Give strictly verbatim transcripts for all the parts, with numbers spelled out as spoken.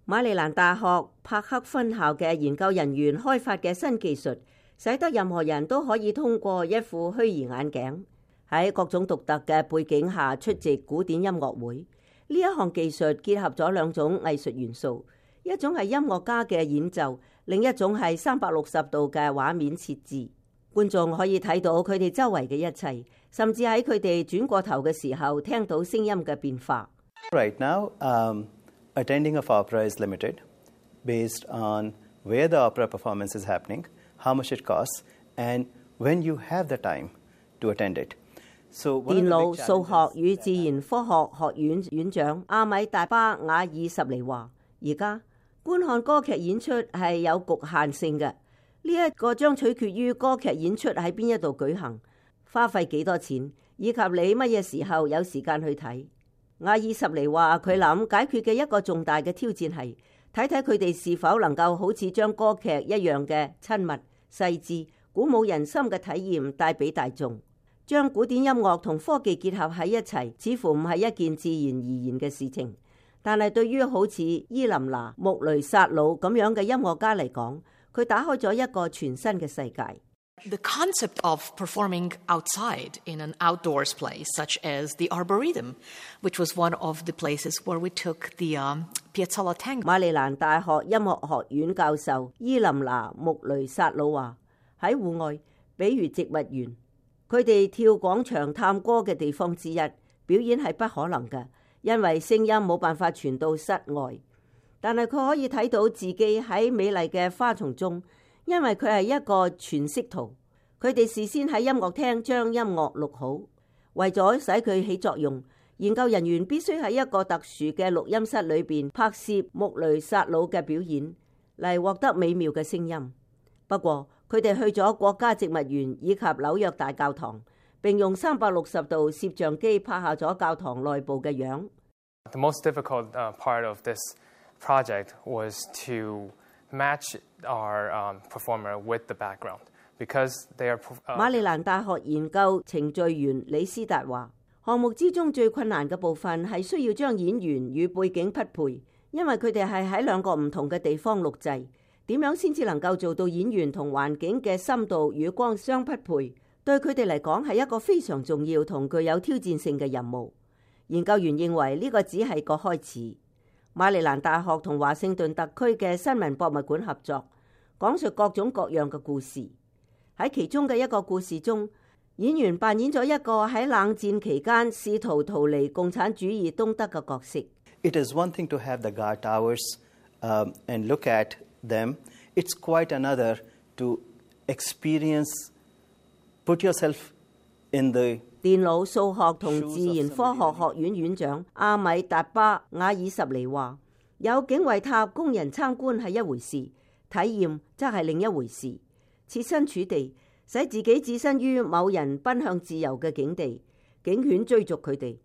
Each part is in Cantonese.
馬里蘭大學柏克分校嘅研究人員開發嘅新技術，使得任何人都可以通過一副虛擬眼鏡，喺各種獨特嘅背景下出席古典音樂會。呢一項技術結合咗兩種藝術元素，一種係音樂家嘅演奏，另一種係三百六十度嘅畫面設置。觀眾可以睇到佢哋周圍嘅一切，甚至喺佢哋轉過頭嘅時候聽到聲音嘅變化。Right now, um, attending of opera is limited based on where the opera performance is happening, how much it costs, and when you have the time to attend it. So, 電腦、數學與自然科學學院院長阿米達巴瓦爾什尼話：而家觀看歌劇演出係有局限性嘅，呢一個將取決於歌劇演出喺邊一度舉行，花費幾多錢，以及你乜嘢時候有時間去睇。瓦爾什尼話：佢諗解決嘅一個重大嘅挑戰係睇睇佢哋是否能夠好似將歌劇一樣嘅親密、細緻、鼓舞人心嘅體驗帶俾大眾。將古典音樂同科技結合喺一齊，似乎唔係一件自然而然嘅事情。但係對於好似伊琳娜·穆雷薩魯咁樣嘅音樂家嚟講，佢打開咗一個全新嘅世界。The concept of performing outside in an outdoors place, such as the Arboretum, which was one of the places where we took the um, Piazzolla Tango. 馬里蘭大學音樂學院教授伊琳娜·穆雷薩魯話：喺戶外，比如植物園，佢哋跳廣場探戈嘅地方之一，表演係不可能嘅，因為聲音冇辦法傳到室外。但係佢可以睇到自己喺美麗嘅花叢中。因為佢係一個全息圖，佢哋事先喺音樂廳將音樂錄好，為咗使佢起作用，研究人員必須喺一個特殊嘅錄音室裏邊拍攝穆雷薩魯嘅表演，嚟獲得美妙嘅聲音。不過佢哋去咗國家植物園以及紐約大教堂，並用三百六十度攝像機拍下咗教堂內部嘅樣。The most difficult uh, part of this project was to match our um, performer with the background because they are. Uh, 馬里蘭大學研究程序員李斯達話：項目之中最困難嘅部分係需要將演員與背景匹配，因為佢哋係喺兩個唔同嘅地方錄製。點樣先至能夠做到演員同環境嘅深度與光相匹配？對佢哋嚟講係一個非常重要同具有挑戰性嘅任務。研究員認為呢個只係個開始。馬里蘭大學同華盛頓特區嘅新聞博物館合作，講述各種各樣嘅故事。喺其中嘅一個故事中，演員扮演咗一個喺冷戰期間試圖逃離共產主義東德嘅角色。It is one thing to have the guard towers um, and look at them. It's quite another to experience, put yourself in the電腦、數學同自然科學學院院長阿米達巴瓦爾什尼話：有警衛塔供人參觀係一回事，體驗則係另一回事。設身處地，使自己置身於某人奔向自由嘅境地，警犬追逐佢哋，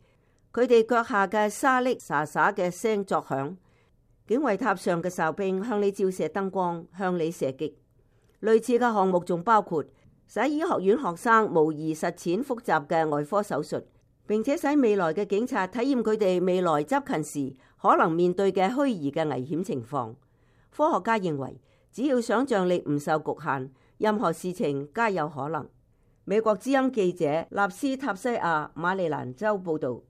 佢哋腳下嘅沙礫沙沙嘅聲作響，警衛塔上嘅哨兵向你照射燈光，向你射擊。類似嘅項目仲包括使醫學院學生模擬實踐複雜嘅外科手術，並且使未來嘅警察體驗佢哋未來執勤時可能面對嘅虛擬嘅危險情況。科學家認為，只要想像力唔受局限，任何事情皆有可能。美國之音記者納斯塔西亞馬里蘭州報導。